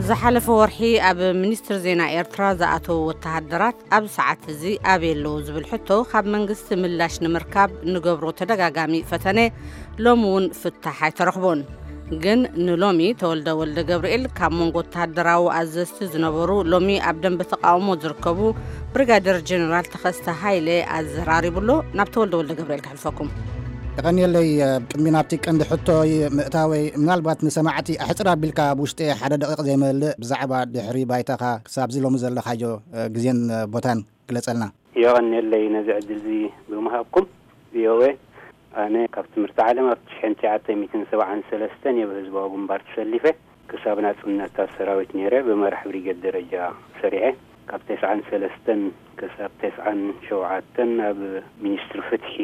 ዝሓለፈ ወርሒ ኣብ ሚኒስትሪ ዜና ኤርትራ ዝኣተዉ ወተሃደራት ኣብ ሰዓት እዚ ኣበይ ኣለዉ ዝብል ሕቶ ካብ መንግስቲ ምላሽ ንምርካብ ንገብሮ ተደጋጋሚ ፈተነ ሎሚ እውን ፍታሕ ኣይተረኽቦን። ግን ንሎሚ ተወልደ ወልደ ገብርኤል ካብ መንጎ ወተሃደራዊ ኣዘዝቲ ዝነበሩ ሎሚ ኣብ ደንበ ተቃውሞ ዝርከቡ ብሪጋደር ጀነራል ተኸስተ ሃይለ ኣዘራሪቡሎ። ናብ ተወልደ ወልደ ገብርኤል ከሕልፈኩም። የቐንየለይ። ቅድሚ ናብቲ ቀንዲ ሕቶ ምእታወይ፣ ምናልባት ንሰማዕቲ ኣሕፅር ኣቢልካ ኣብ ውሽጢ ሓደ ደቂቕ ዘይመልእ ብዛዕባ ድሕሪ ባይታኻ ክሳብዚ ሎሚ ዘለኻዮ ግዜን ቦታን ግለጸልና። የቐንየለይ ነዚ ዕድል እዚ ብምሃብኩም። ቪኦኤ፣ ኣነ ካብ ትምህርቲ ዓለም ኣብ ሽሕን ትሽዓተ ሚእትን ሰብዓን ሰለስተን እየ ብህዝባዊ ግንባር ተሰሊፈ። ክሳብ ናጽነት ኣብ ሰራዊት ነይረ፣ ብመራሕ ብሪጌድ ደረጃ ሰሪሐ። ካብ ተስዓን ሰለስተን ክሳብ ተስዓን ሸውዓተን ኣብ ሚኒስትሪ ፍትሒ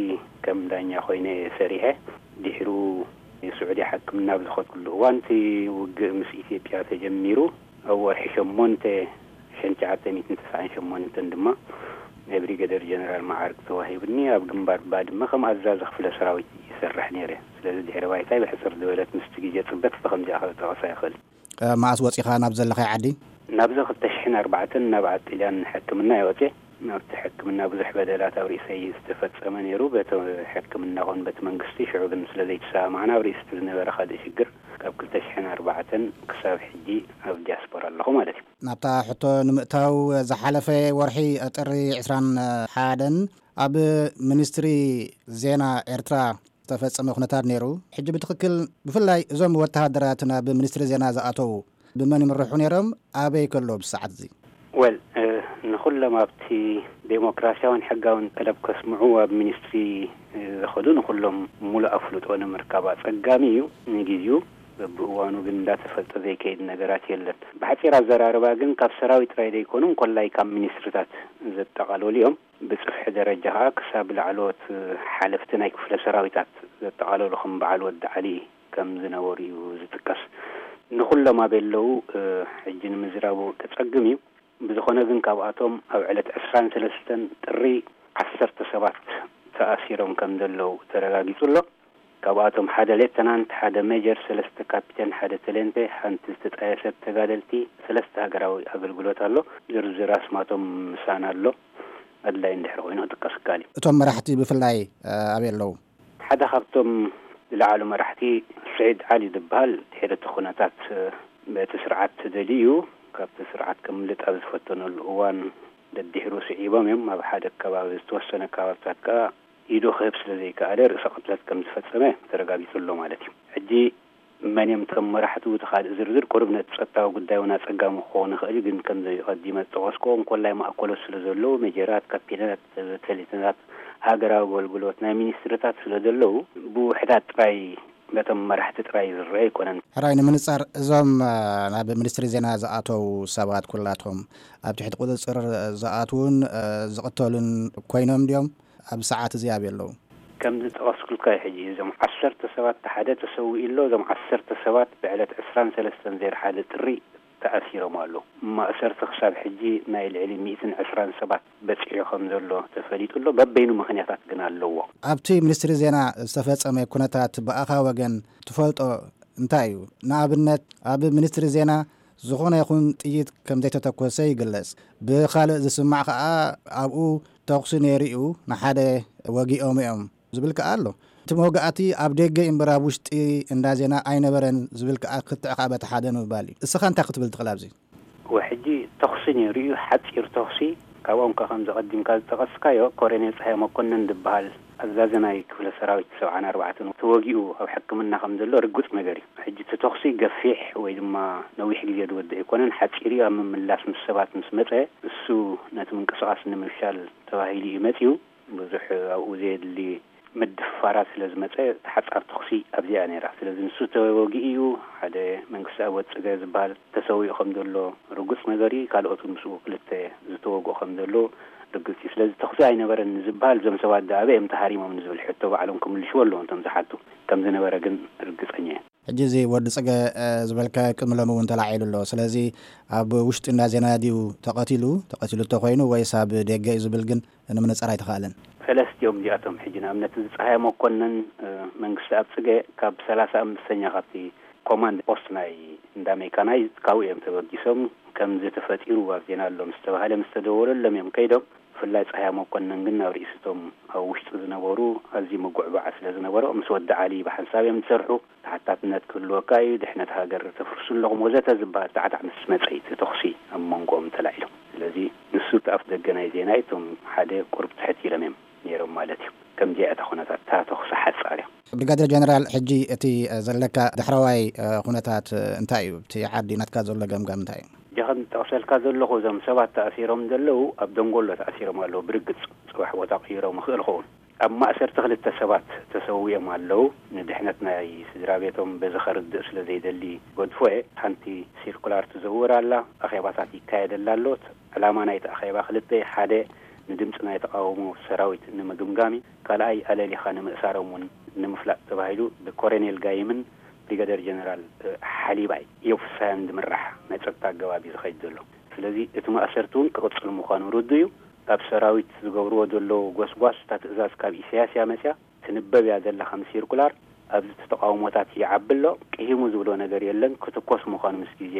ከም ዳኛ ኮይነ እየ ሰሪሐ። ድሕሩ ስዑዲ ሕክምና ኣብ ዝኸድኩሉ እዋን፣ እቲ ውግእ ምስ ኢትዮጵያ ተጀሚሩ፣ ኣብ ወርሒ ሸሞንተ ሽሕን ትሽዓተ ሚእትን ተስዓን ሸሞንተን ድማ ናይ ብሪገደር ጀነራል መዓርግ ተዋሂቡኒ። ኣብ ግንባር ባድመ ከም ኣዛዚ ክፍለ ሰራዊት ይሰርሕ ነይረ። ስለዚ ድሕሪ ባይታይ ብሕጽር ዝበለት ምስቲ ግዜ ጽበት ብኸምዚኣ ክጠቕሳ ይኽእል። እ፣ መኣስ ወጺኻ ናብ ዘለኻይ ዓዲ? ናብዚ ክልተ ሽሕን ኣርባዕተን ናብ ዓዲ ጥልያን ሕክምና እየ ወጺኤ። ናብቲ ሕክምና ብዙሕ በደላት ኣብ ርእሰይ ዝተፈጸመ ነይሩ። በቲ ሕክምና ኹን በቲ መንግስቲ፣ ሽዑ ግን ስለ ዘይተሰማማዕና ኣብ ርእሲ ዝነበረ ካልእ ሽግር ካብ ክልተ ሽሕን ኣርባዕተን ክሳብ ሕጂ ኣብ ዲያስፖራ ኣለኹ ማለት እዩ። ናብታ ሕቶ ንምእታው፣ ዝሓለፈ ወርሒ ጥሪ ዕስራን ሓደን ኣብ ሚኒስትሪ ዜና ኤርትራ ዝተፈጸመ ኩነታት ነይሩ። ሕጂ ብትኽክል ብፍላይ እዞም ወተሃደራት ናብ ሚኒስትሪ ዜና ዝኣተዉ ብመን ይምርሑ ነይሮም? ኣበይ ከሎ ብሰዓት እዚ? ወል፣ እ፣ ንኹሎም ኣብቲ ዴሞክራሲያውን ሕጋውን ጠለብ ከስምዑ ኣብ ሚኒስትሪ፣ እ፣ ዝኸዱ ንኹሎም ሙሉእ ኣፍልጦ ንምርካብ ኣጸጋሚ እዩ። ንግዜኡ በብእዋኑ ግን እንዳተፈልጠ ዘይከይድ ነገራት የለን። ብሓጺር ኣዘራርባ ግን ካብ ሰራዊት ጥራይ ዘይኮኑ እንኮላይ ካብ ሚኒስትሪታት ዘጠቓለሉ እዮም። ብጽፍሒ ደረጃ ኸኣ ክሳብ ላዕለዎት ሓለፍቲ ናይ ክፍለ ሰራዊታት ዘጠቓለሉ ከም በዓል ወዲ ዓሊ ከም ዝነበሩ እዩ ዝጥቀስ። ንኹሎም ኣበይ ኣለዉ፣ እ፣ ሕጂ ንምዝራቡ ከጸግም እዩ። ብዝኾነ ግን ካብኣቶም ኣብ ዕለት ዕስራን ሰለስተን ጥሪ ዓሰርተ ሰባት ተኣሲሮም ከም ዘለዉ ተረጋጊጹ ኣሎ። ካብኣቶም ሓደ ሌተናንት፣ ሓደ ሜጀር፣ ሰለስተ ካፒተን፣ ሓደ ተሌንተ፣ ሓንቲ ዝተጣየሰት ተጋደልቲ፣ ሰለስተ ሃገራዊ ኣገልግሎት ኣሎ። ዝርዝር ኣስማቶም ምሳና ኣሎ። ኣድላይ እንድሕር ኮይኑ ክጥቀስ ይከኣል እዩ። እቶም መራሕቲ ብፍላይ፣ እ፣ ኣበይ ኣለዉ? ሓደ ካብቶም ዝለዓሉ መራሕቲ ስዒድ ዓሊ ዝበሃል፣ ድሕሪ እቲ ኩነታት፣ እ፣ በቲ ስርዓት ተደልዩ ካብቲ ስርዓት ከምልጥ ኣብ ዝፈተነሉ እዋን ደድሕሩ ስዒቦም እዮም። ኣብ ሓደ ከባቢ፣ ዝተወሰነ ከባብታት ከኣ ኢዱ ክህብ ስለ ዘይከኣለ ርእሰ ቅትለት ከም ዝፈጸመ ተረጋጊጹ ኣሎ ማለት እዩ። ሕጂ መን እዮም እቶም መራሕቱ፣ እቲ ካልእ ዝርዝር ቁሩብ ነቲ ጸጥታዊ ጉዳይ እውን ኣጸጋሚ ክኸውን ይኽእል እዩ። ግን ከምዚ ቀዲመ ዝጠቐስኩዎ እንኮላይ ማእከሎት ስለ ዘለዉ፣ ሜጀራት፣ ካፒተናት፣ ተሌተናት፣ ሃገራዊ ኣገልግሎት፣ ናይ ሚኒስትርታት ስለ ዘለዉ ብውሕዳት ጥራይ በቶም መራሕቲ ጥራይ ዝረአ ኣይኮነን። ሕራይ ንምንጻር እዞም፣ እ፣ ናብ ሚኒስትሪ ዜና ዝኣተዉ ሰባት ኩላቶም ኣብ ትሕቲ ቁጽጽር ዝኣትዉን፣ እ፣ ዝቕተሉን ኮይኖም ድዮም? ኣብ ሰዓት እዚ ኣበይ ኣለዉ? ከም ዝጠቐስኩልካ እዩ። ሕጂ እዞም ዓሰርተ ሰባት ሓደ ተሰዊኡ ኣሎ። እዞም ዓሰርተ ሰባት ብዕለት ዕስራን ሰለስተን ዜሮ ሓደ ጥሪ ተኣሲሮም ኣለዉ። ማእሰርቲ ክሳብ ሕጂ ናይ ልዕሊ ሚእትን ዕስራን ሰባት በጺሑ ከም ዘሎ ተፈሊጡ ኣሎ። በበይኑ ምኽንያታት ግን ኣለዎ። ኣብቲ ሚኒስትሪ ዜና ዝተፈጸመ ኩነታት ብኣኻ ወገን ትፈልጦ እንታይ እዩ? ንኣብነት ኣብ ሚኒስትሪ ዜና ዝኾነ ይኹን ጥይት ከም ዘይተተኮሰ ይግለጽ። ብኻልእ ዝስማዕ ከኣ ኣብኡ ተኹሲ ነይሩ እዩ፣ ንሓደ ወጊኦም እዮም ዝብል ከኣ ኣሎ። እቲ መውጋእቲ ኣብ ደገ እምበር ኣብ ውሽጢ እንዳ ዜና ኣይነበረን ዝብል ከኣ ክትዕ ከኣ በቲ ሓደ ንምባል እዩ። እስኻ እንታይ ክትብል ትኽእል ኣብዚ? ወሕጂ ተኹሲ ነይሩ እዩ፣ ሓጺር ተኹሲ። ካብኦም ከ ከምዚ ቀዲምካ ዝጠቐስካዮ ኮሎኔል ጸሃየ መኮነን ዝበሃል ኣዛዚ ናይ ክፍለ ሰራዊት ሰብዓን ኣርባዕተን ተወጊኡ ኣብ ሕክምና ከም ዘሎ ርጉጽ ነገር እዩ። ሕጂ እቲ ተኹሲ ገፊሕ ወይ ድማ ነዊሕ ግዜ ዝወድእ ኣይኮነን፣ ሓጺር እዩ። ኣብ ምምላስ ምስ ሰባት ምስ መጸ እሱ ነቲ ምንቅስቓስ ንምፍሻል ተባሂሉ እዩ መጺኡ። ብዙሕ ኣብኡ ዘየድሊ ምድፍፋራት ስለ ዝመጸ፣ እቲ ሓጻር ተኹሲ ኣብዚኣ ነይራ። ስለዚ ንሱ ተወጊኡ እዩ። ሓደ መንግስቲ ኣብ ወጽገ ዝበሃል ተሰዊኡ ከም ዘሎ ርጉጽ ነገር እዩ። ካልኦት እውን ምስኡ ክልተ ዝተወግኡ ከም ዘሎ ርግጽ እዩ። ስለዚ ተኹሲ ኣይነበረን ንዝበሃል፣ እዞም ሰባት ደኣ ኣበይ እዮም ተሃሪሞም ንዝብል ሕቶ ባዕሎም ክምልሽዎ ኣለዎም እቶም ዝሓቱ። ከም ዝነበረ ግን ርግጸኛ እየ። ሕጂ እዚ ወዲ ጽገ፣ እ፣ ዝበልካዮ ቅድሚ ሎሚ እውን ተላዒሉ ኣሎ። ስለዚ ኣብ ውሽጢ እንዳ ዜና ድዩ ተቐቲሉ? ተቐቲሉ እንተኾይኑ ወይስ ኣብ ደገ እዩ ዝብል ግን ንምንጻር ኣይተኻእለን። ሰለስቲኦም እዚኣቶም ሕጂ ንኣብነት እዚ ጸሃየ መኮነን፣ እ፣ መንግስቲ ኣብ ጽገ ካብ ሰላሳ ኣምስተኛ ካብቲ ኮማንድ ፖስት ናይ እንዳ ሜካናይዝ ካብኡ እዮም ተበጊሶም። ከምዚ ተፈጢሩ ኣብ ዜና ኣሎ ምስ ተባሃለ ምስ ተደወለሎም እዮም ከይዶም። ብፍላይ ጸሃያ መኮነን ግን ናብ ርእሲቶም ኣብ ውሽጢ ዝነበሩ ኣዝዩ ምጉዕባዕ ስለ ዝነበሮ፣ ምስ ወዲ ዓሊ ብሓንሳብ እዮም ዝሰርሑ። ተሓታትነት ክህልወካ እዩ፣ ድሕነት ሃገር ተፍርሱ ኣለኹም ወዘተ ዝበሃል ጣዕጣዕ ምስ መጸ እዩ እቲ ተኹሲ ኣብ መንጎኦም ተላዒሉ። ስለዚ ንሱ እቲ ኣፍ ደገ ናይ ዜና እዩ። እቶም ሓደ ቁሩብ ትሕት ኢሎም እዮም ነይሮም ማለት እዩ። ከምዚኣ እታ ኩነታት፣ እታ ተኹሲ ሓጻር እያ። ብሪጋደር ጀነራል፣ ሕጂ እቲ ዘለካ ዳሕረዋይ ኩነታት እንታይ እዩ? እቲ ዓዲ ናትካ ዘሎ ገምጋም እንታይ እዩ? ጀኸም ጠቕሰልካ ዘለኹ፣ እዞም ሰባት ተኣሲሮም ዘለዉ ኣብ ደንጎሎ ተኣሲሮም ኣለዉ። ብርግጽ ጽባሕ ቦታ ክይሮም ይኽእል ኸውን። ኣብ ማእሰርቲ ክልተ ሰባት ተሰዊኦም ኣለዉ። ንድሕነት ናይ ስድራ ቤቶም በዚ ከርድእ ስለ ዘይደሊ ገድፎ እየ። ሓንቲ ሲርኩላር ትዘውር ኣላ፣ ኣኼባታት ይካየደላ ኣሎ። ዕላማ ናይቲ ኣኼባ ክልተ እዩ። ሓደ ንድምፂ ናይ ተቃውሞ ሰራዊት ንምግምጋም እዩ። ካልኣይ ኣለሊኻ ንምእሳሮም እውን ንምፍላጥ ተባሂሉ ብኮሎኔል ጋይምን ብሪጋደር ጀነራል ሓሊባይ ዮፍሳያን ዝምራሕ ናይ ጸጥታ ኣገባብ እዩ ዝኸይድ ዘሎ። ስለዚ እቲ ማእሰርቲ እውን ክቕጽል ምዃኑ ርዱእ እዩ። ኣብ ሰራዊት ዝገብርዎ ዘለዉ ጎስጓስ፣ እታ ትእዛዝ ካብ ኢሳያስ እያ መጽያ፣ ትንበብ እያ ዘላ ከም ሲርኩላር። ኣብዚ እቲ ተቃውሞታት ይዓቢ ኣሎ፣ ቅሂሙ ዝብሎ ነገር የለን። ክትኮስ ምዃኑ ምስ ግዜ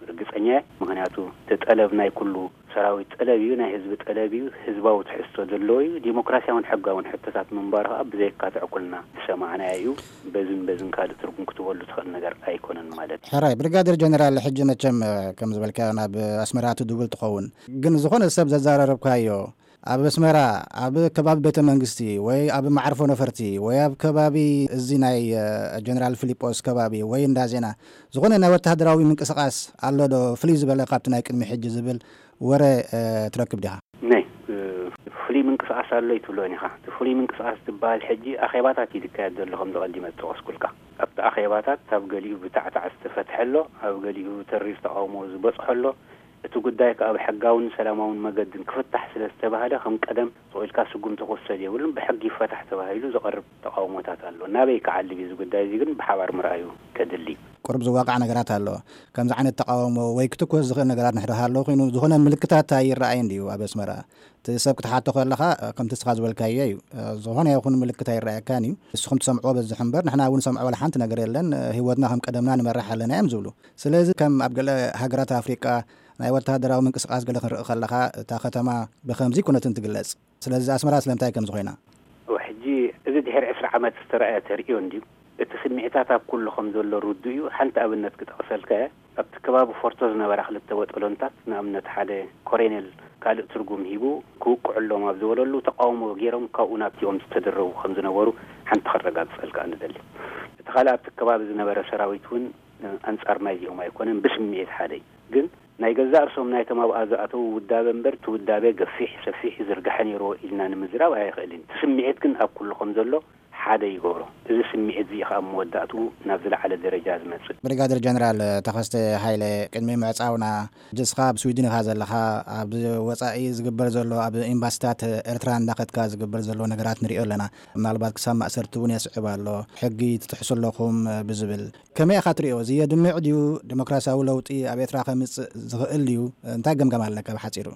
ርግጸኛ እየ። ምኽንያቱ እቲ ጠለብ ናይ ኩሉ ሰራዊት ጠለብ እዩ፣ ናይ ህዝቢ ጠለብ እዩ፣ ህዝባዊ ትሕዝቶ ዘለዎ እዩ። ዲሞክራሲያውን ሕጋውን ሕቶታት ምንባሩ ከኣ ብዘየካትዕ ኩልና ዝሰማዕናዮ እዩ። በዝን በዝን ካልእ ትርጉም ክትበሉ ትኽእል ነገር ኣይኮነን ማለት እዩ። ሕራይ ብሪጋደር ጀነራል፣ ሕጂ መቸም ከም ዝበልካዮ ናብ ኣስመራ ትድውል ትኸውን፣ ግን ዝኾነ ሰብ ዘዛረረብካዮ ኣብ ኣስመራ ኣብ ከባቢ ቤተ መንግስቲ ወይ ኣብ መዓርፎ ነፈርቲ ወይ ኣብ ከባቢ እዚ ናይ ጀነራል ፊሊጶስ ከባቢ ወይ እንዳ ዜና ዝኾነ ናይ ወተሃደራዊ ምንቅስቃስ ኣሎ ዶ፣ ፍልይ ዝበለ ካብቲ ናይ ቅድሚ ሕጂ ዝብል ወረ ትረክብ ዲኻ? ናይ ፍሉይ ምንቅስቃስ ኣሎ ይትብሎን ኢኻ። እቲ ፍሉይ ምንቅስቃስ ዝበሃል ሕጂ ኣኼባታት እዩ ዝካየድ ዘሎ፣ ከም ዝቐዲመ ዝጠቐስኩልካ። ኣብቲ ኣኼባታት ካብ ገሊኡ ብታዕታዕ ዝተፈትሐ ኣሎ፣ ኣብ ገሊኡ ተሪር ተቃውሞ ዝበጽሖ ኣሎ። እቲ ጉዳይ ከኣ ብሕጋውን ሰላማውን መገድን ክፍታሕ ስለ ዝተባህለ፣ ከም ቀደም ስቕ ኢልካ ስጉምቲ ክውሰድ የብሉን፣ ብሕጊ ይፈታሕ ተባሂሉ ዝቐርብ ተቃውሞታት ኣሎ። ናበይ ክዓልብ እዩ እዚ ጉዳይ እዚ ግን ብሓባር ምርኣዩ ከድሊ። ቁሩብ ዝዋቃዕ ነገራት ኣሎ። ከምዚ ዓይነት ተቃውሞ ወይ ክትኮስ ዝኽእል ነገራት ንሕድር ሃለዉ ኮይኑ፣ ዝኾነ ምልክታት ኣይረኣይን ድዩ ኣብ ኣስመራ? እቲ ሰብ ክትሓቶ ከለኻ፣ ከምቲ እስኻ ዝበልካዮ እዩ። ዝኾነ ይኹን ምልክት ኣይረኣየካን እዩ። ንስኹም ትሰምዕዎ በዝሕ እምበር፣ ንሕና እውን ንሰምዖ ዋላ ሓንቲ ነገር የለን። ህይወትና ከም ቀደምና ንመርሕ ኣለና እዮም ዝብሉ። ስለዚ ከም ኣብ ገለ ሃገራት ኣፍሪቃ ናይ ወተሃደራዊ ምንቅስቃስ ገለ ክንርኢ ከለኻ፣ እታ ከተማ ብኸምዚ ኩነትን ትግለጽ። ስለዚ ኣስመራ ስለምንታይ ከምዚ ኮይና? ሕጂ እዚ ድሕሪ ዕስራ ዓመት ዝተረኣየ ተርእዮ እንድዩ። እቲ ስምዒታት ኣብ ኩሉ ከም ዘሎ ርዱእ እዩ። ሓንቲ ኣብነት ክጠቕሰልካ እየ። ኣብቲ ከባቢ ፎርቶ ዝነበራ ክልተ ቦጦሎንታት፣ ንኣብነት ሓደ ኮሬኔል ካልእ ትርጉም ሂቡ ክውቅዑሎም ኣብ ዝበለሉ፣ ተቃውሞ ገይሮም ካብኡ ናብቲኦም ዝተደረቡ ከም ዝነበሩ ሓንቲ ከረጋግጸልካ ንደሊ። እቲ ካልእ ኣብቲ ከባቢ ዝነበረ ሰራዊት እውን ኣንጻር ናይዚኦም ኣይኮነን፣ ብስምዒት ሓደ እዩ። ግን ናይ ገዛእ ርእሶም ናይቶም ኣብኣ ዝኣተዉ ውዳበ እምበር፣ እቲ ውዳበ ገፊሕ፣ ሰፊሕ፣ ዝርጋሐ ነይርዎ ኢልና ንምዝራብ ኣይኽእልን። እቲ ስምዒት ግን ኣብ ኩሉ ከም ዘሎ ሓደ ይገብሮ። እዚ ስምዒት እዚ ከኣ ኣብ መወዳእትኡ ናብ ዝለዓለ ደረጃ ዝመጽእ። ብሪጋደር ጀነራል ተኸስተ ሃይለ፣ ቅድሚ ምዕጻውና፣ ሕጂ እስኻ ኣብ ስዊድን ኢኻ ዘለኻ፣ ኣብ ወጻኢ ዝግበር ዘሎ፣ ኣብ ኤምባሲታት ኤርትራ እንዳኸድካ ዝግበር ዘሎ ነገራት ንሪኦ ኣለና። ምናልባት ክሳብ ማእሰርቲ እውን የስዕብ ኣሎ፣ ሕጊ ትጥሕሱ ኣለኹም ብዝብል። ከመይ ኢኻ ትሪኦ? እዚ የድምዕ ድዩ? ዲሞክራሲያዊ ለውጢ ኣብ ኤርትራ ከምጽእ ዝኽእል ድዩ? እንታይ ገምጋም ኣለካ ብሓጺሩ?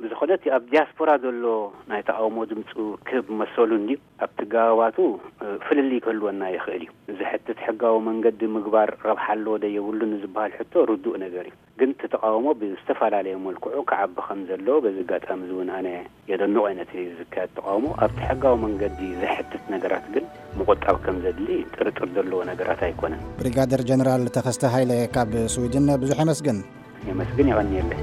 ብዝኾነ እቲ ኣብ ዲያስፖራ ዘሎ ናይ ተቃውሞ ድምፁ ክህብ መሰሉ እንድዩ። ኣብቲ ገባባቱ፣ እ፣ ፍልልይ ክህልወና ይኽእል እዩ። ዝሕትት ሕጋዊ መንገዲ ምግባር ረብሓ ኣለዎ ዶ የብሉን ንዝበሃል ሕቶ ርዱእ ነገር እዩ። ግን እቲ ተቃውሞ ብዝተፈላለየ መልክዑ ክዓቢ ከም ዘለዎ በዚ ኣጋጣሚ እዚ እውን ኣነ የደንቖ እየ ነቲ ዝካየድ ተቃውሞ። ኣብቲ ሕጋዊ መንገዲ ዘሕትት ነገራት ግን ምቑጣብ ከም ዘድሊ ጥርጥር ዘለዎ ነገራት ኣይኮነን። ብሪጋደር ጀነራል ተኸስተ ሃይለ ካብ ስዊድን ብዙሕ የመስግን። የመስግን፣ የቐንየለይ።